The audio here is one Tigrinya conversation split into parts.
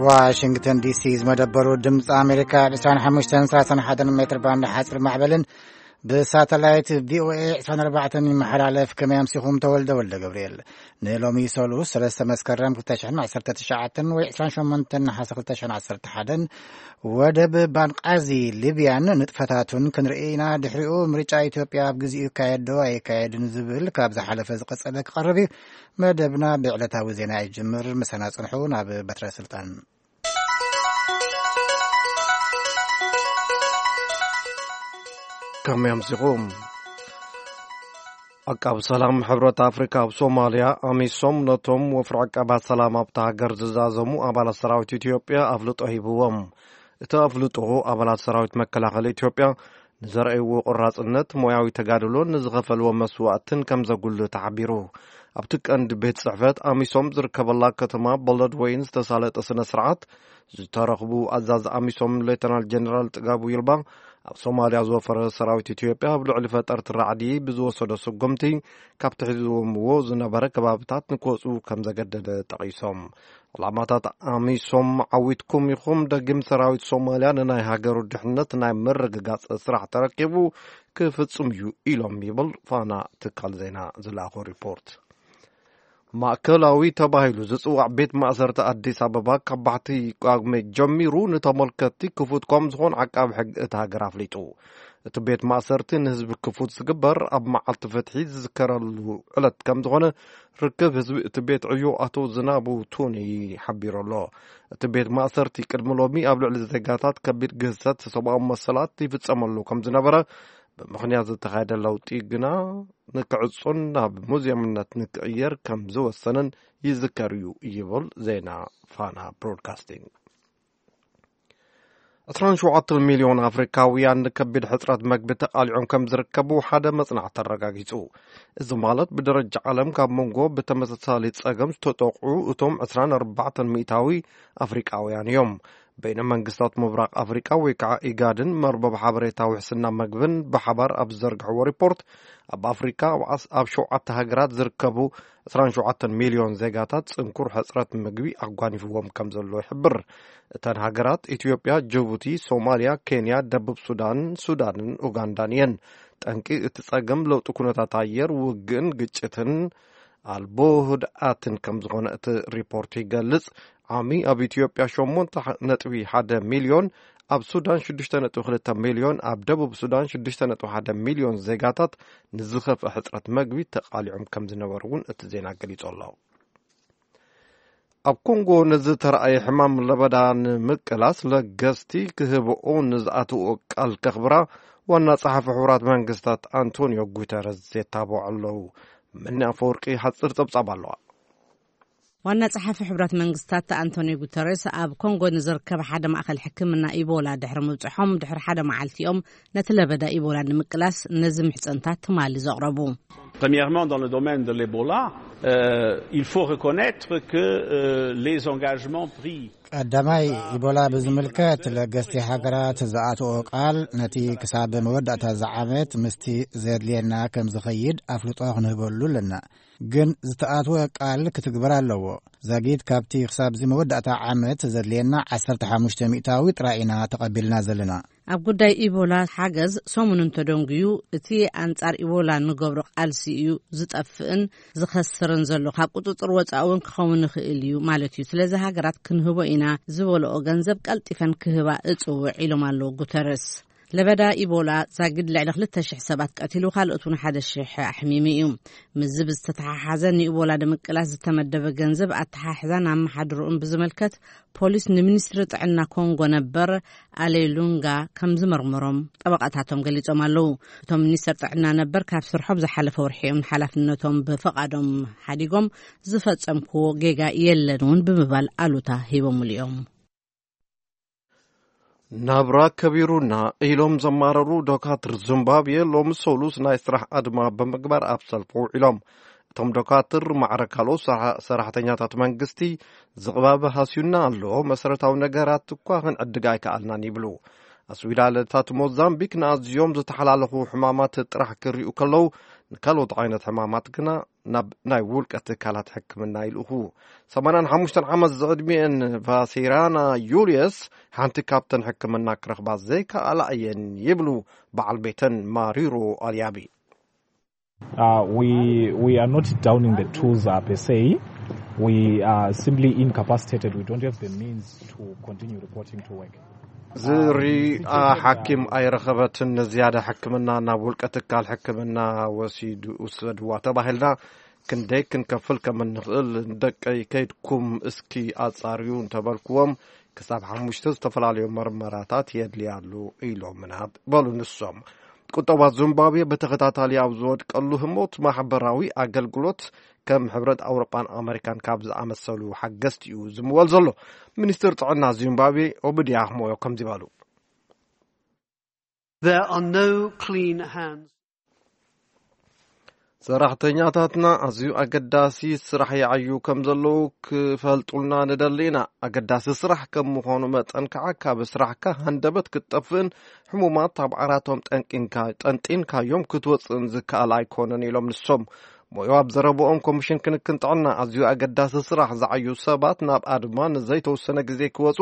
ዋሽንግተን ዲሲ ዝመደበሩ ድምፂ ኣሜሪካ ብ ዕስራን ሓሙሽተን ሰላሳን ሓደን ሜትር ባንድ ሓፂር ማዕበልን ብሳተላይት ቪኦኤ ዕስራን ኣርባዕተን ይመሓላለፍ። ከመይ ኣምሲኹም? ተወልደ ወልደ ገብርኤል። ንሎሚ ሰሉስ ሰለስተ መስከረም ክልተ ሽሕን ዓሰርተ ትሽዓተን ወይ ዕስራን ሸሞንተን ነሓሰ ክልተ ሽሕን ዓሰርተ ሓደን ወደብ ባንቃዚ ሊብያን ንጥፈታቱን ክንርኢ ኢና። ድሕሪኡ ምርጫ ኢትዮጵያ ኣብ ግዜኡ ይካየድ ዶ ኣይካየድን ዝብል ካብ ዝሓለፈ ዝቐጸለ ክቐርብ እዩ። መደብና ብዕለታዊ ዜና ይጅምር። ምሳና ጽንሑ። ናብ በትረ ስልጣን። ከመይ ኣምሲኹም? ዓቃብ ሰላም ሕብረት ኣፍሪካ ኣብ ሶማልያ ኣሚሶም ነቶም ወፍሪ ዓቃባት ሰላም ኣብታ ሃገር ዝዛዘሙ ኣባላት ሰራዊት ኢትዮጵያ ኣፍልጦ ሂብዎም። እቲ ኣፍልጦ ኣባላት ሰራዊት መከላኸሊ ኢትዮጵያ ንዘርኣይዎ ቆራፅነት፣ ሞያዊ ተጋድሎን ንዝኸፈልዎ መስዋእትን ከም ዘጉልህ ተሓቢሩ። ኣብቲ ቀንዲ ቤት ጽሕፈት ኣሚሶም ዝርከበላ ከተማ በለድ ወይን ዝተሳለጠ ስነ ስርዓት ዝተረኽቡ ኣዛዚ ኣሚሶም ሌተናል ጀነራል ጥጋቡ ይልባ ኣብ ሶማልያ ዝወፈረ ሰራዊት ኢትዮጵያ ኣብ ልዕሊ ፈጠርቲ ራዕዲ ብዝወሰዶ ስጉምቲ ካብ ትሒዝዎምዎ ዝነበረ ከባብታት ንክወፁ ከም ዘገደደ ጠቒሶም። ዕላማታት ኣሚሶም ዓዊትኩም ኢኹም፣ ደጊም ሰራዊት ሶማልያ ንናይ ሃገሩ ድሕነት ናይ ምርግጋጽ ስራሕ ተረኪቡ ክፍጽም እዩ ኢሎም ይብል ፋና ትካል ዜና ዝለኣኾ ሪፖርት። ማእከላዊ ተባሂሉ ዝጽዋዕ ቤት ማእሰርቲ ኣዲስ ኣበባ ካብ ባሕቲ ጳጉሜ ጀሚሩ ንተመልከትቲ ክፉት ከም ዝኾን ዓቃቢ ሕጊ እታ ሃገር ኣፍሊጡ። እቲ ቤት ማእሰርቲ ንህዝቢ ክፉት ዝግበር ኣብ መዓልቲ ፍትሒ ዝዝከረሉ ዕለት ከም ዝኾነ ርክብ ህዝቢ እቲ ቤት ዕዮ ኣቶ ዝናቡ ቱኒ ሓቢሩ ኣሎ። እቲ ቤት ማእሰርቲ ቅድሚ ሎሚ ኣብ ልዕሊ ዜጋታት ከቢድ ግህሰት ሰብኣዊ መሰላት ይፍጸመሉ ከም ዝነበረ፣ ብምኽንያት ዝተኻየደ ለውጢ ግና ንክዕጾን ናብ ሙዝየምነት ንክቕየር ከም ዝወሰነን ይዝከር እዩ ይብል ዜና ፋና ብሮድካስቲንግ። ዕስራን ሸውዓተን ሚልዮን ኣፍሪካውያን ንከቢድ ሕጽረት መግቢ ተቓሊዖም ከም ዝርከቡ ሓደ መጽናዕቲ ኣረጋጊጹ። እዚ ማለት ብደረጃ ዓለም ካብ መንጎ ብተመሳሳሊ ጸገም ዝተጠቕዑ እቶም ዕስራን ኣርባዕተን ሚእታዊ ኣፍሪቃውያን እዮም። በይነ መንግስታት ምብራቕ ኣፍሪቃ ወይ ከዓ ኢጋድን መርበብ ሓበሬታ ውሕስና መግብን ብሓባር ኣብ ዝዘርግሕዎ ሪፖርት፣ ኣብ ኣፍሪካ ኣብ ዓስ-፣ ኣብ ሸውዓተ ሃገራት ዝርከቡ ዕስራን ሸውዓተን ሚልዮን ዜጋታት ጽንኩር ሕጽረት ምግቢ ኣጓኒፍዎም ከም ዘሎ ይሕብር። እተን ሃገራት ኢትዮጵያ፣ ጅቡቲ፣ ሶማልያ፣ ኬንያ፣ ደቡብ ሱዳን፣ ሱዳንን ኡጋንዳን እየን። ጠንቂ እቲ ጸገም ለውጢ ኩነታት ኣየር፣ ውግእን ግጭትን ኣልቦ ህድኣትን ከም ዝኾነ እቲ ሪፖርት ይገልጽ። ዓሚ ኣብ ኢትዮጵያ ሸሞንተ ነጥቢ ሓደ ሚልዮን፣ ኣብ ሱዳን ሽዱሽተ ነጥቢ ክልተ ሚልዮን፣ ኣብ ደቡብ ሱዳን ሽዱሽተ ነጥቢ ሓደ ሚልዮን ዜጋታት ንዝኸፍአ ሕጽረት መግቢ ተቓሊዖም ከም ዝነበሩ እውን እቲ ዜና ገሊጹ ኣሎ። ኣብ ኮንጎ ንዝተረኣየ ሕማም ለበዳ ንምቅላስ ለገስቲ ክህብኦ ንዝኣትዎ ቃል ከኽብራ ዋና ጸሓፊ ሕቡራት መንግስታት ኣንቶኒዮ ጉተረዝ የታብዑ ኣለዉ። ምኒ ኣፈወርቂ ሓጺር ጸብጻብ ኣለዋ። ዋና ጸሓፊ ሕቡራት መንግስታት ኣንቶኒዮ ጉተረስ ኣብ ኮንጎ ንዝርከብ ሓደ ማእከል ሕክምና ኢቦላ ድሕሪ ምብጽሖም ድሕሪ ሓደ መዓልቲ እዮም ነቲ ለበዳ ኢቦላ ንምቅላስ ነዚ ምሕጸንታት ትማሊ ዘቕረቡ። Premièrement, dans le domaine de l'Ebola, euh, il faut reconnaître que euh, les engagements pris ቀዳማይ፣ ኢቦላ ብዝምልከት ለገስቲ ሃገራት ዝኣትኦ ቃል ነቲ ክሳብ መወዳእታ ዝዓመት ምስቲ ዘድልየና ከም ዝኸይድ ኣፍልጦ ክንህበሉ ኣለና። ግን ዝተኣትወ ቃል ክትግበር ኣለዎ። ዛጊት ካብቲ ክሳብዚ መወዳእታ ዓመት ዘድልየና ዓሰርተ ሓሙሽተ ሚእታዊ ጥራይ ኢና ተቐቢልና ዘለና። ኣብ ጉዳይ ኢቦላ ሓገዝ ሰሙን እንተደንጉዩ፣ እቲ ኣንጻር ኢቦላ ንገብሮ ቃልሲ እዩ ዝጠፍእን ዝኸስርን ዘሎ። ካብ ቁጽጽር ወጻኢ እውን ክኸውን ይኽእል እዩ ማለት እዩ። ስለዚ ሃገራት ክንህቦ ኢና ዝበልኦ ገንዘብ ቀልጢፈን ክህባ እጽውዕ ኢሎም ኣለዉ ጉተረስ። ለበዳ ኢቦላ ዛጊድ ልዕሊ ክልተ ሽሕ ሰባት ቀቲሉ፣ ካልኦት እውን ሓደ ሽሕ ኣሕሚሙ እዩ። ምስዚ ብዝተተሓሓዘ ንኢቦላ ንምቅላስ ዝተመደበ ገንዘብ ኣተሓሕዛን ኣመሓድርኡን ብዝምልከት ፖሊስ ንሚኒስትሪ ጥዕና ኮንጎ ነበር ኣሌሉንጋ ከም ዝመርመሮም ጠበቓታቶም ገሊጾም ኣለዉ። እቶም ሚኒስተር ጥዕና ነበር ካብ ስርሖም ዝሓለፈ ወርሒ እዮም ንሓላፍነቶም ብፍቓዶም ሓዲጎም፣ ዝፈጸምክዎ ጌጋ የለን እውን ብምባል ኣሉታ ሂቦምሉ እዮም። ናብራ ከቢሩና ኢሎም ዘማረሩ ዶካትር ዚምባብዌ ሎሚ ሰሉስ ናይ ስራሕ ኣድማ ብምግባር ኣብ ሰልፊ ውዒሎም። እቶም ዶካትር ማዕረ ካልኦት ሰራ-፣ ሰራሕተኛታት መንግስቲ ዝቕባበ ሃስዩና ኣሎ፣ መሰረታዊ ነገራት እኳ ክንዕድግ ኣይከኣልናን ይብሉ። ኣስዊዳለታት ሞዛምቢክ ንኣዝዮም ዝተሓላለኹ ሕማማት ጥራሕ ክሪኡ ከለዉ ንካልኦት ዓይነት ሕማማት ግና ናብ ናይ ውልቀ ትካላት ሕክምና ይልእኹ። ሰማንያን ሓሙሽተን ዓመት ዝዕድሚኤን ቫሴራና ዩልየስ ሓንቲ ካብተን ሕክምና ክረኽባ ዘይከኣላ እየን ይብሉ በዓል ቤተን ማሪሮ ኣልያቢ። Uh, we we are not downing the tools uh, per se. We are simply incapacitated. We don't have the means to continue reporting to work. ዝርኣ ሓኪም ኣይረኸበትን። ንዝያዳ ሕክምና ናብ ውልቀ ትካል ሕክምና ወሲዱ ውሰድዋ ተባሂልና ክንደይ ክንከፍል ከም እንኽእል፣ ደቀይ ከይድኩም እስኪ ኣጻርዩ እንተበልክዎም፣ ክሳብ ሓሙሽተ ዝተፈላለዩ መርመራታት የድልያ ኣሎ ኢሎምና በሉ ንሶም። ቁጠባ ዚምባብዌ ብተኸታታሊ ኣብ ዝወድቀሉ ህሞት ማሕበራዊ ኣገልግሎት ከም ሕብረት ኣውሮጳን ኣመሪካን ካብ ዝኣመሰሉ ሓገዝቲ እዩ ዝምወል ዘሎ። ሚኒስትር ጥዕና ዚምባብዌ ኦብድያ ሞዮ ከምዚ በሉ። There are no clean hands. ሰራሕተኛታትና ኣዝዩ ኣገዳሲ ስራሕ ይዓዩ ከም ዘለዉ ክፈልጡልና ንደሊ ኢና። ኣገዳሲ ስራሕ ከም ምዃኑ መጠን ከዓ ካብ ስራሕካ ሃንደበት ክትጠፍእን ሕሙማት ኣብ ዓራቶም ጠንጢንካ ጠንጢንካዮም ክትወፅእን ዝከኣል ኣይኮነን ኢሎም ንሶም። ሞዮ ኣብ ዘረብኦም ኮሚሽን ክንክን ጥዕና ኣዝዩ ኣገዳሲ ስራሕ ዝዓዩ ሰባት ናብ ኣድማ ንዘይተወሰነ ግዜ ክወፁ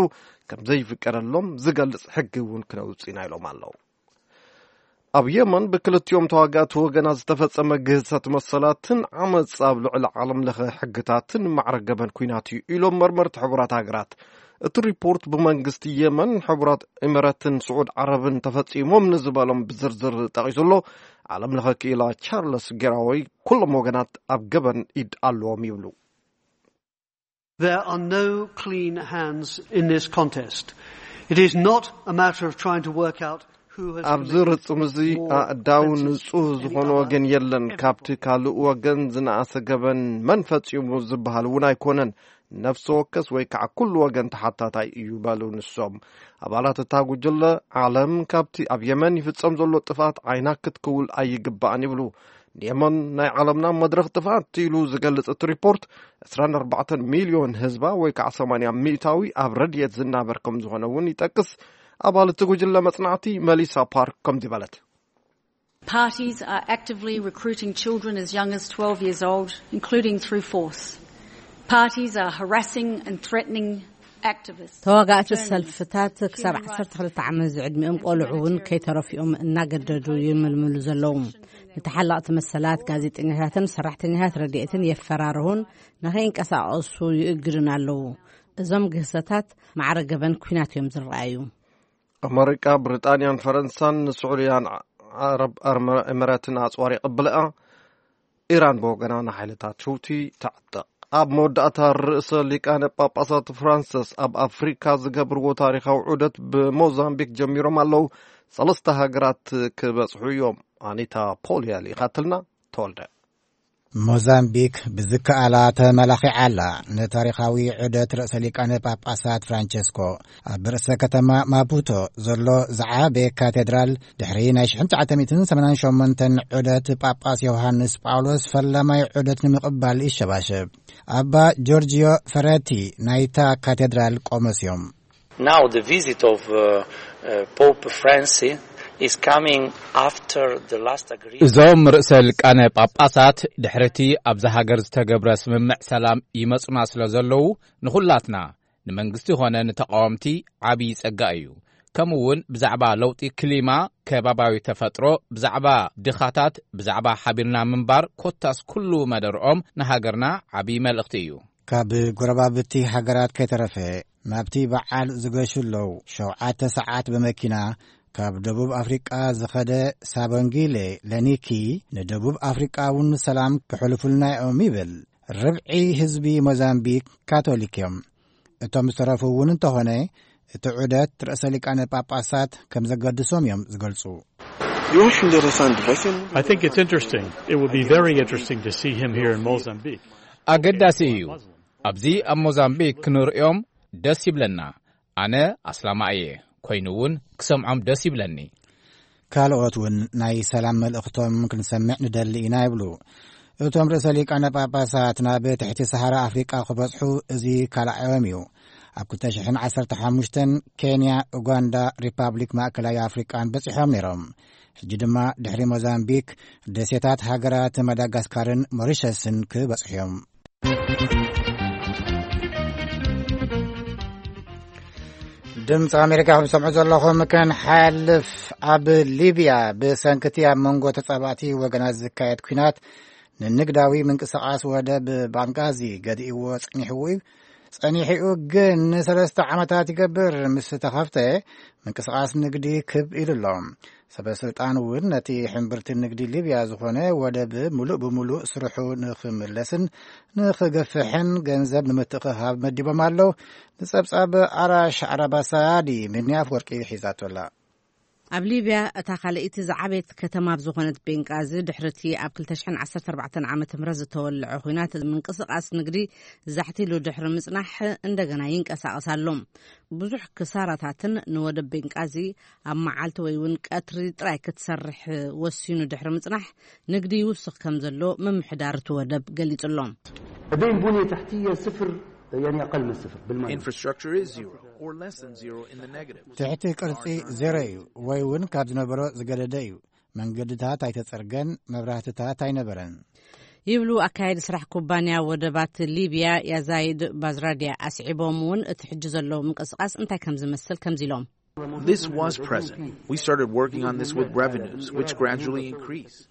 ከም ዘይፍቀደሎም ዝገልፅ ሕጊ እውን ክነውፅእ ኢና ኢሎም ኣለዉ። ኣብ የመን ብክልቲኦም ተዋጋእቲ ወገናት ዝተፈጸመ ግህሰት መሰላትን ዓመጽ ኣብ ልዕሊ ዓለም ለኸ ሕግታትን ማዕረ ገበን ኲናት እዩ ኢሎም መርመርቲ ሕቡራት ሃገራት። እቲ ሪፖርት ብመንግስቲ የመን፣ ሕቡራት ኢመረትን ስዑድ ዓረብን ተፈጺሞም ንዝበሎም ብዝርዝር ጠቒሱ ኣሎ። ዓለም ለኸ ክኢላ ቻርለስ ጌራወይ ኩሎም ወገናት ኣብ ገበን ኢድ ኣለዎም ይብሉ። There are no clean hands in this contest. It is not a matter of trying to work out who has ኣብዚ committed ርጽም እዚ more ኣእዳው offences ንጹህ than any ዝኾነ other. ወገን የለን። ካብቲ ካልእ ወገን ዝነኣሰ ገበን መን ፈጺሙ ዝበሃል እውን ኣይኮነን። ነፍሲ ወከስ ወይ ከዓ ኩሉ ወገን ተሓታታይ እዩ በሉ ንሶም። ኣባላት እታ ጉጅለ ዓለም ካብቲ ኣብ የመን ይፍጸም ዘሎ ጥፍኣት ዓይና ክትክውል ኣይግባእን ይብሉ። ንየመን ናይ ዓለምና መድረኽ ጥፍኣት ኢሉ ዝገልጽ እቲ ሪፖርት ዕስራን ኣርባዕተን ሚልዮን ህዝባ ወይ ከዓ ሰማንያ ሚእታዊ ኣብ ረድኤት ዝናበር ከም ዝኾነ እውን ይጠቅስ። ኣባል እቲ ጉጅለ መጽናዕቲ መሊሳ ፓርክ ከምዚ በለት። Parties are actively recruiting children as young as twelve years old, including through force. Parties are harassing and threatening activists. ተዋጋእቲ ሰልፍታት ክሳብ ዓሰርተ ክልተ ዓመት ዝዕድሚኦም ቆልዑ እውን ከይተረፊኦም እናገደዱ ይምልምሉ ዘለዉ። ንተሓላቕቲ መሰላት፣ ጋዜጠኛታትን ሰራሕተኛታት ረድኤትን የፈራርሁን ንኸይንቀሳቐሱ ይእግድን ኣለዉ። እዞም ግህሰታት ማዕረ ገበን ኲናት እዮም ዝረኣዩ። ኣመሪካ፣ ብሪጣንያን ፈረንሳን ንስዑድያን ዓረብ ኣርመ- ኤምሬትን ኣጽዋር የቐብለኣ። ኢራን ብወገና ንሓይልታት ሑቲ ተዕጥቕ። ኣብ መወዳእታ ርእሰ ሊቃነ ጳጳሳት ፍራንሲስ ኣብ ኣፍሪካ ዝገብርዎ ታሪኻዊ ዑደት ብሞዛምቢክ ጀሚሮም ኣለዉ። ሰለስተ ሃገራት ክበጽሑ እዮም። ኣኒታ ፖል እያ ልኢኻትልና። ተወልደ። ሞዛምቢክ ብዝከኣላ ተመላኺዓ ኣላ። ንታሪኻዊ ዑደት ርእሰ ሊቃነ ጳጳሳት ፍራንቸስኮ ኣብ ርእሰ ከተማ ማፑቶ ዘሎ ዝዓበየ ካቴድራል ድሕሪ ናይ ሽሕን ትሽዓተ ሚእትን ሰማንያን ሸሞንተን ዑደት ጳጳስ ዮሃንስ ጳውሎስ ፈላማይ ዑደት ንምቕባል ይሸባሸብ። ኣባ ጆርጂዮ ፈረቲ ናይታ ካቴድራል ቆሞስ እዮም። Now the visit of uh, uh, Pope Francis is coming after the last agreement. እዞም ርእሰ ሊቃነ ጳጳሳት ድሕርቲ ኣብዛ ሃገር ዝተገብረ ስምምዕ ሰላም ይመጹና ስለ ዘለዉ ንኹላትና ንመንግስቲ ኾነ ንተቃወምቲ ዓብዪ ጸጋ እዩ። ከምኡ እውን ብዛዕባ ለውጢ ክሊማ፣ ከባባዊ ተፈጥሮ፣ ብዛዕባ ድኻታት፣ ብዛዕባ ሓቢርና ምንባር ኮታስ ኩሉ መደርኦም ንሃገርና ዓብዪ መልእኽቲ እዩ። ካብ ጎረባብቲ ሃገራት ከይተረፈ ናብቲ በዓል ዝገሹ ኣለዉ። ሸውዓተ ሰዓት ብመኪና ካብ ደቡብ ኣፍሪቃ ዝኸደ ሳቦንጊሌ ለኒኪ ንደቡብ ኣፍሪቃ እውን ሰላም ክሕልፉልና እዮም ይብል። ርብዒ ህዝቢ ሞዛምቢክ ካቶሊክ እዮም። እቶም ዝተረፉ እውን እንተኾነ እቲ ዑደት ርእሰ ሊቃነ ጳጳሳት ከም ዘገድሶም እዮም ዝገልጹ። I think it's interesting. It would be very interesting to see him here in Mozambique. ኣገዳሲ እዩ። ኣብዚ ኣብ ሞዛምቢክ ክንርእዮም ደስ ይብለና። ኣነ ኣስላማ እየ፣ ኮይኑ እውን ክሰምዖም ደስ ይብለኒ። ካልኦት እውን ናይ ሰላም መልእኽቶም ክንሰምዕ ንደሊ ኢና ይብሉ። እቶም ርእሰ ሊቃነ ጳጳሳት ናብ ትሕቲ ሰሃራ ኣፍሪቃ ክበጽሑ እዚ ካልኣዮም እዩ። ኣብ ክልተ ሽሕን ዓሰርተ ሓሙሽተን ኬንያ፣ ኡጋንዳ፣ ሪፓብሊክ ማእከላይ ኣፍሪቃን በጺሖም ነይሮም። ሕጂ ድማ ድሕሪ ሞዛምቢክ፣ ደሴታት ሃገራት ማዳጋስካርን ሞሪሸስን ክበጽሑ እዮም። ድምፂ ኣሜሪካ ከም ትሰምዑ ዘለኹም፣ ክንሓልፍ፣ ኣብ ሊብያ ብሰንክቲ ኣብ መንጎ ተጻባእቲ ወገናት ዝካየድ ኲናት ንንግዳዊ ምንቅስቓስ ወደብ ባንጋዚ ገዲእዎ ጸኒሕዎ እዩ። ጸኒሕኡ ግን ንሰለስተ ዓመታት ይገብር ምስ ተኸፍተ፣ ምንቅስቓስ ንግዲ ክብ ኢሉ ኣሎ። ሰበ ስልጣን እውን ነቲ ሕምብርቲ ንግዲ ሊብያ ዝኾነ ወደብ ምሉእ ብምሉእ ስርሑ ንኽምለስን ንኽገፍሕን ገንዘብ ንምትእኽኻብ መዲቦም ኣለዉ። ንጸብጻብ ኣራሽ ዓራባሳዲ፣ ምንያ ኣፍወርቂ ሒዛቶ ኣላ። ኣብ ሊብያ፣ እታ ካልኣይቲ ዝዓበየት ከተማ ኣብ ዝኾነት ቤንቃዚ፣ ድሕሪ እቲ ኣብ ክልተ ሽሕን ዓሰርተ ኣርባዕተን ዓመተ ምህረት ዝተወልዐ ኲናት፣ ምንቅስቓስ ንግዲ ዛሕቲሉ ድሕሪ ምጽናሕ፣ እንደገና ይንቀሳቐስ ኣሎ። ብዙሕ ክሳራታትን ንወደብ ቤንቃዚ ኣብ መዓልቲ ወይ እውን ቀትሪ ጥራይ ክትሰርሕ ወሲኑ ድሕሪ ምጽናሕ፣ ንግዲ ይውስኽ ከም ዘሎ ምምሕዳር እቲ ወደብ ገሊጹ ኣሎ። لديهم بنية تحتية صفر، يعني أقل من صفر بالمعنى. Infrastructure is zero or less than zero in the negative. ትሕቲ ቅርጺ ዜሮ እዩ፣ ወይ እውን ካብ ዝነበሮ ዝገደደ እዩ። መንገድታት ኣይተጸርገን፣ መብራህትታት ኣይነበረን። ይብሉ ኣካያዲ ስራሕ ኩባንያ ወደባት ሊብያ ያዛይድ ባዝራድያ። ኣስዒቦም እውን እቲ ሕጂ ዘሎ ምንቅስቓስ እንታይ ከም ዝመስል ከምዚ ኢሎም። This was present. We started working on this with revenues, which gradually increased.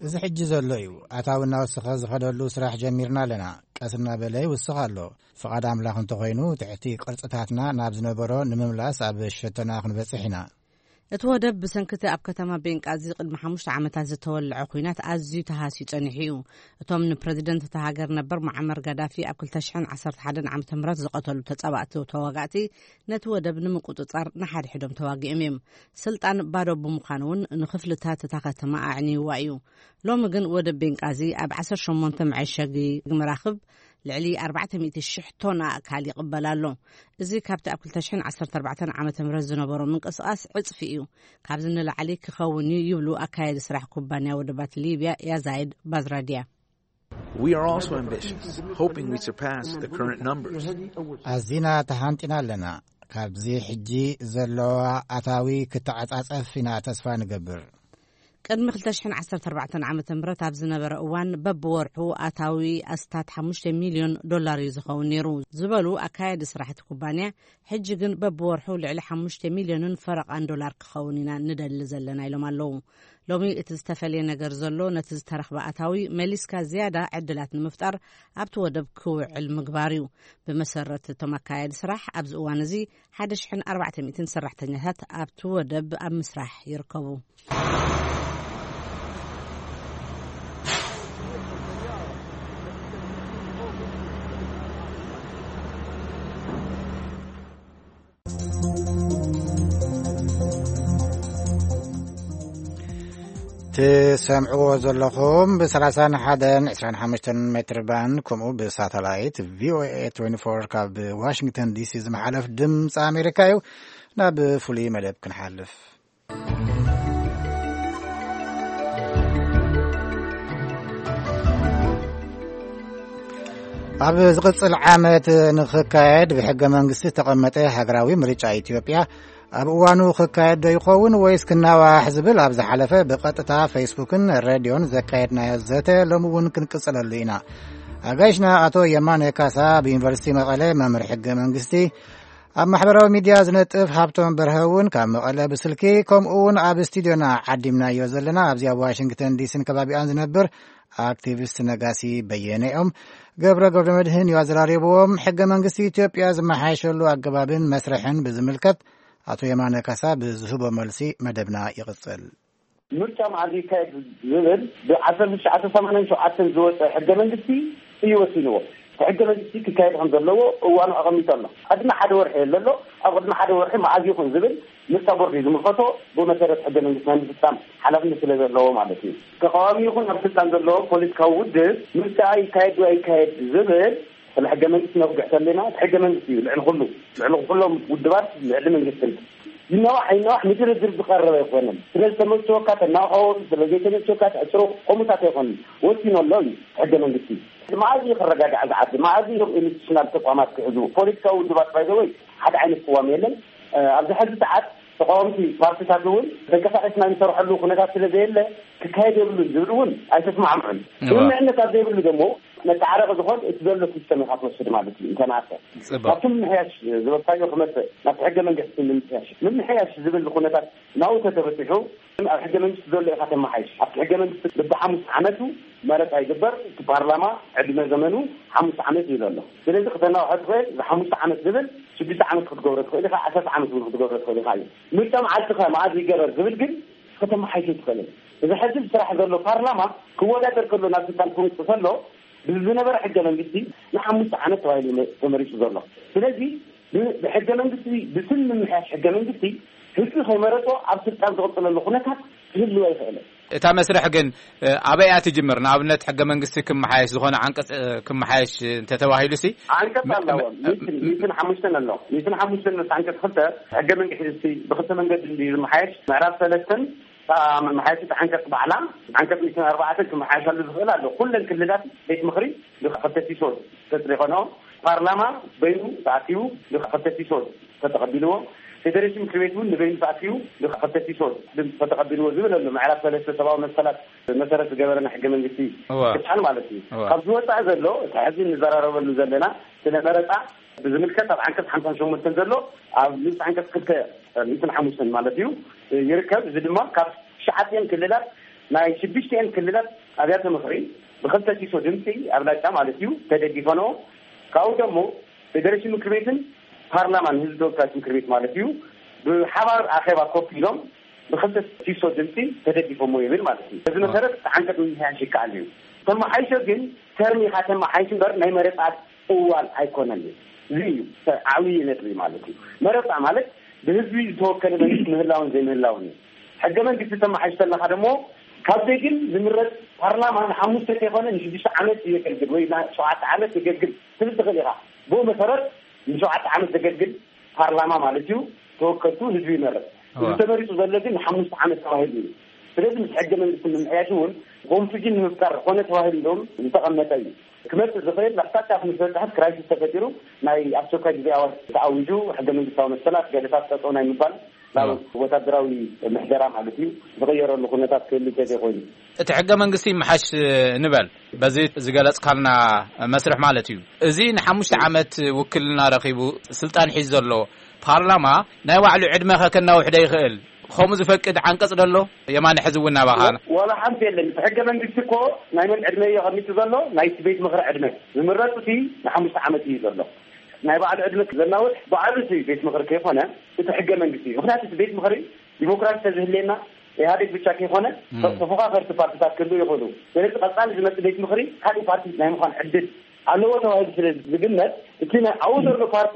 እዚ ሕጂ ዘሎ እዩ። ኣታዊ እናወሰኸ ዝኸደሉ ስራሕ ጀሚርና ኣለና። ቀስ እናበለ ይውስኽ ኣሎ። ፍቓድ ኣምላኽ እንተኾይኑ፣ ትሕቲ ቅርጽታትና ናብ ዝነበሮ ንምምላስ ኣብ ሸቶና ክንበጽሕ ኢና። እቲ ወደብ ብሰንክቲ ኣብ ከተማ ቤንቃዚ ቅድሚ ሓሙሽተ ዓመታት ዝተወልዐ ኲናት ኣዝዩ ተሃስዩ ጸኒሑ እዩ። እቶም ንፕረዚደንት እታ ሃገር ነበር ሙዓመር ጋዳፊ ኣብ ክልተ ሽሕን ዓሰርተ ሓደን ዓመተ ምህረት ዝቐተሉ ተጻባእቲ ተዋጋእቲ፣ ነቲ ወደብ ንምቁጽጻር ንሓድሕዶም ተዋጊኦም እዮም። ስልጣን ባዶ ብምዃኑ እውን ንኽፍልታት እታ ከተማ ኣዕንይዋ እዩ። ሎሚ ግን ወደብ ቤንቃዚ ኣብ ዓሰርተ ሸሞንተ መዐሸጊ መራኽብ ልዕሊ ኣርባዕተ ሚእቲ ሽሕ ቶን ኣእካል ይቕበል ኣሎ። እዚ ካብቲ ኣብ ክልተ ሽሕን ዓሰርተ ኣርባዕተን ዓመተ ምህረት ዝነበሮ ምንቅስቓስ ዕጽፊ እዩ። ካብዚ ንላዕሊ ክኸውን እዩ ይብሉ ኣካያዲ ስራሕ ኩባንያ ወደባት ሊብያ ያዛይድ ባዝራድያ። We are also ambitious, hoping we surpass the current numbers. ኣዚና ተሃንጢና ኣለና። ካብዚ ሕጂ ዘለዋ ኣታዊ ክተዓጻጸፍ ኢና ተስፋ ንገብር። ቅድሚ ክልተ ሽሕን ዓሰርተ ኣርባዕተን ዓመተ ምህረት ኣብ ዝነበረ እዋን፣ በብወርሑ ኣታዊ ኣስታት ሓሙሽተ ሚልዮን ዶላር እዩ ዝኸውን ነይሩ ዝበሉ ኣካያዲ ስራሕ እቲ ኩባንያ፣ ሕጂ ግን በብወርሑ ልዕሊ ሓሙሽተ ሚልዮንን ፈረቓን ዶላር ክኸውን ኢና ንደሊ ዘለና ኢሎም ኣለዉ። ሎሚ እቲ ዝተፈልየ ነገር ዘሎ፣ ነቲ ዝተረኽበ ኣታዊ መሊስካ ዝያዳ ዕድላት ንምፍጣር ኣብቲ ወደብ ክውዕል ምግባር እዩ። ብመሰረት እቶም ኣካያዲ ስራሕ፣ ኣብዚ እዋን እዚ ሓደ ሽሕን ኣርባዕተ ሚእትን ሰራሕተኛታት ኣብቲ ወደብ ኣብ ምስራሕ ይርከቡ። ትሰምዕዎ ዘለኹም ብ ሰላሳን ሓደን ዕስራን ሓሙሽተን ሜትር ባንድ፣ ከምኡ ብሳተላይት ቪ ኦ ኤ ትዌንቲ ፎር ካብ ዋሽንግተን ዲ ሲ ዝመሓለፍ ድምፂ ኣሜሪካ እዩ። ናብ ፍሉይ መደብ ክንሓልፍ። ኣብ ዝቕጽል ዓመት ንኽካየድ ብሕገ መንግስቲ ዝተቐመጠ ሃገራዊ ምርጫ ኢትዮጵያ ኣብ እዋኑ ክካየድ ዶ ይኸውን ወይስ ክናዋሕ ዝብል ኣብ ዝሓለፈ ብቐጥታ ፌስቡክን ሬድዮን ዘካየድናዮ ዘተ ሎሚ እውን ክንቅጽለሉ ኢና። ኣጋይሽና ኣቶ የማነ ካሳ፣ ኣብ ዩኒቨርሲቲ መቐለ መምህር ሕገ መንግስቲ፣ ኣብ ማሕበራዊ ሚድያ ዝነጥፍ ሃብቶም በርሀ እውን ካብ መቐለ ብስልኪ፣ ከምኡ እውን ኣብ ስቱድዮና ዓዲምናዮ ዘለና ኣብዚ ኣብ ዋሽንግተን ዲሲን ከባቢኣን ዝነብር ኣክቲቪስት ነጋሲ በየነ እዮም። ገብረ ገብረ መድህን እዩ ኣዘራሪብዎም። ሕገ መንግስቲ ኢትዮጵያ ዝመሓየሸሉ ኣገባብን መስርሕን ብዝምልከት ኣቶ የማነ ካሳ ብዝህቦ መልሲ መደብና ይቕጽል። ምርጫ መዓዝ ይካየድ ዝብል ብ ዓሰርተ ትሽዓተ ሰማንያን ሸውዓተን ዝወፀ ሕገ መንግስቲ እዩ ወሲንዎ። እቲ ሕገ መንግስቲ ክካየድ ከም ዘለዎ እዋኑ ኣቐሚጡ ኣሎ። ቅድሚ ሓደ ወርሒ የለ ኣሎ። ኣብ ቅድሚ ሓደ ወርሒ መዓዝ ይኹን ዝብል ምርጫ ቦርድ እዩ ዝምልከቶ። ብመሰረት ሕገ መንግስቲ ናይ ምፍፃም ሓላፍነት ስለ ዘለዎ ማለት እዩ። ተቃዋሚ ይኹን ኣብ ስልጣን ዘለዎ ፖለቲካዊ ውድብ ምርጫ ይካየድ ዶ ኣይካየድ ዝብል ስለ ሕገ መንግስቲ ነጉሕ ተለና፣ እቲ ሕገ መንግስቲ እዩ ልዕሊ ኩሉ፣ ልዕሊ ኩሎም ውድባት፣ ልዕሊ መንግስትን። ይነዋሕ ይነዋሕ ንድርድር ዝቐረበ ኣይኮነን። ስለ ዝተመቸወካ ተናውሖ፣ ስለ ዘይተመቸወካ ተዕፅሮ፣ ከምኡታት ኣይኮነን። ወሲኑ ኣሎ እዩ ሕገ መንግስቲ። መዓዝ እዩ ክረጋጋዕ ዝዓዲ? መዓዝ እዮም ኢንስቲቱሽናል ተቋማት ክሕዙ? ፖለቲካዊ ውድባት ባይዘወይ ሓደ ዓይነት ቅዋም የለን። ኣብዚ ሕዚ ሰዓት ተቃወምቲ ፓርቲታት እውን ተንቀሳቀስና ንሰርሐሉ ኩነታት ስለ ዘየለ ክካየድ የብሉን ዝብል እውን ኣይተስማዕምዑን። ስምምዕነት ኣብ ዘይብሉ ደግሞ መተዓረቂ ዝኾን እቲ ዘሎ ሲስተም ኢኻ ትወስድ ማለት እዩ። እንተናተ ካብቲ ምምሕያሽ ዝበልካዮ ክመፅእ ናብቲ ሕገ መንግስቲ ምምሕያሽ ምምሕያሽ ዝብል ኩነታት ናው ተተበፂሑ ኣብ ሕገ መንግስቲ ዘሎ ኢኻ ተመሓይሽ። ኣብቲ ሕገ መንግስቲ በብሓሙስ ዓመቱ መረፃ ይግበር። እቲ ፓርላማ ዕድመ ዘመኑ ሓሙስ ዓመት እዩ ዘሎ። ስለዚ ክተናውሐ ትኽእል። እዚ ሓሙስ ዓመት ዝብል ሽዱሽተ ዓመት ክትገብሮ ትኽእል ኢኻ። ዓሰርተ ዓመት እውን ክትገብሮ ትኽእል ኢኻ እዩ። ምርጫ መዓልቲ ከ መዓዝ ይገበር ዝብል ግን ከተመሓይሽ ትኽእልን። እዚ ሕዚ ዝስራሕ ዘሎ ፓርላማ ክወዳደር ከሎ ናብ ስልጣን ክምፅእ ከሎ ብዝነበረ ሕገ መንግስቲ ንሓሙስ ዓመት ተባሂሉ ተመሪፁ ዘሎ። ስለዚ ብሕገ መንግስቲ ብስም ምምሕያሽ ሕገ መንግስቲ ህዝቢ ከይመረፆ ኣብ ስልጣን ዝቕፅለሉ ኩነታት ክህልዎ ኣይኽእልን። እታ መስርሕ ግን ኣበይ እያ ትጅምር? ንኣብነት ሕገ መንግስቲ ክመሓየሽ ዝኾነ ዓንቀፅ ክመሓየሽ እንተተባሂሉ ሲ? ዓንቀፅ ኣለዎም። ሚትን ሓሙሽተን ኣሎ። ሚትን ሓሙሽተን ምስ ዓንቀፅ ክልተ ሕገ መንግስቲ ብክልተ መንገዲ ዝመሓየሽ ምዕራፍ ሰለስተን መሓየሽቲ ዓንቀፅ ባዕላ ዓንቀፅ ሚትን ኣርባዕተን ክመሓየሻሉ ዝኽእል ኣሎ። ኩለን ክልላት ቤት ምኽሪ ብክልተ ሲሶ ተፅሪኾኖ ፓርላማ በይኑ ተኣኪቡ ብክልተ ሲሶ ተተቐቢልዎ፣ ፌደሬሽን ምክር ቤት እውን ንበይኑ ተኣኪቡ ብክልተ ሲሶ ድምፂ ተተቐቢልዎ ዝብል ኣሎ። ምዕራፍ ሰለስተ ሰብኣዊ መሰላት መሰረት ዝገበረ ናይ ሕገ መንግስቲ ክፋል ማለት እዩ። ካብዚ ወፃኢ ዘሎ እቲ ሕዚ እንዘራረበሉ ዘለና ስለ መረፃ ብዝምልከት ኣብ ዓንቀፅ ሓምሳን ሸሞንተን ዘሎ ኣብ ንስ ዓንቀፅ ክልተ ሚእትን ሓሙሽተን ማለት እዩ ይርከብ። እዚ ድማ ካብ ትሽዓቲኤን ክልላት ናይ ሽዱሽቲኤን ክልላት ኣብያተ ምኽሪ ብክልተ ሲሶ ድምፂ ኣብላጫ ማለት እዩ ተደጊፈንኦ። ካብኡ ደሞ ፌደሬሽን ምክር ቤትን ፓርላማን ህዝቢ ተወካዮች ምክር ቤት ማለት እዩ ብሓባር ኣኼባ ኮፍ ኢሎም ብክልተ ሲሶ ድምፂ ተደጊፎሞ ይብል ማለት እዩ። በዚ መሰረት ዓንቀፅ ምምሕያሽ ይከኣል እዩ። ተመሓይሾ ግን ተርም ኢኻ ተመሓይሽ እምበር ናይ መረፃ እዋን ኣይኮነን እዩ። እዚ እዩ ዓብዪ ነጥቢ ማለት እዩ። መረፃ ማለት ብህዝቢ ዝተወከለ መንግስቲ ምህላውን ዘይምህላውን እዩ። ሕገ መንግስቲ ተመሓይሽ ተለካ ደሞ ካብ ዘይግን ዝምረፅ ፓርላማ ንሓሙሽተ ከይኮነ ንሽዱሽተ ዓመት የገልግል ወይ ሸውዓተ ዓመት የገልግል ትብል ትኽእል ኢኻ። ብኡ መሰረት ንሸውዓተ ዓመት ዘገልግል ፓርላማ ማለት እዩ ተወከልቱ ህዝቢ ይመረፅ። እዚ ተመሪፁ ዘሎ ግን ንሓሙሽተ ዓመት ተባሂሉ እዩ። ስለዚ ምስ ሕገ መንግስቲ ምምሕያሽ እውን ኮንፊዥን ንምፍጣር ኮነ ተባሂሉ እንደውም ዝተቐመጠ እዩ። ክመፅእ ዝኽእል ኣቅጣጫ ምስ በፅሐት ክራይሲስ ተፈጢሩ ናይ ኣስቸኳይ ግዜ ኣዋጅ ተኣዊጁ ሕገ መንግስታዊ መሰላት ገለታት ጠጠው ናይ ምባል ናብ ወታደራዊ ምሕደራ ማለት እዩ ዝቕየረሉ ኩነታት ክህሉ እንተዘይኮይኑ። እቲ ሕገ መንግስቲ ይመሓሽ ንበል በዚ ዝገለፅካልና መስርሕ ማለት እዩ። እዚ ንሓሙሽተ ዓመት ውክልና ረኺቡ ስልጣን ሒዙ ዘሎ ፓርላማ ናይ ባዕሉ ዕድመ ከ ከናውሕ ዶ ይኽእል? ከምኡ ዝፈቅድ ዓንቀፅ ዶ ኣሎ? የማነ ሕዚ እውን ናባኻ። ወላ ሓንቲ የለን። እቲ ሕገ መንግስቲ እኮ ናይ መን ዕድመ እዩ ኣቐሚጡ ዘሎ? ናይቲ ቤት ምኽሪ ዕድመ። ዝምረፅ እቲ ንሓሙሽተ ዓመት እዩ ዘሎ። ናይ ባዕሉ ዕድመ ዘናውሕ ባዕሉ እቲ ቤት ምኽሪ ከይኮነ እቲ ሕገ መንግስቲ እዩ። ምክንያቱ እቲ ቤት ምኽሪ ዲሞክራሲ ተዝህልየና ኢህኣዴግ ብቻ ከይኮነ ተፎካከርቲ ፓርቲታት ክህልው ይኽእሉ። ስለዚ ቀፃሊ ዝመፅእ ቤት ምኽሪ ካሊእ ፓርቲ ናይ ምዃን ዕድል ኣለዎ ተባሂሉ ስለ ዝግመት እቲ ናይ ኣብኡ ዘሎ ፓርቲ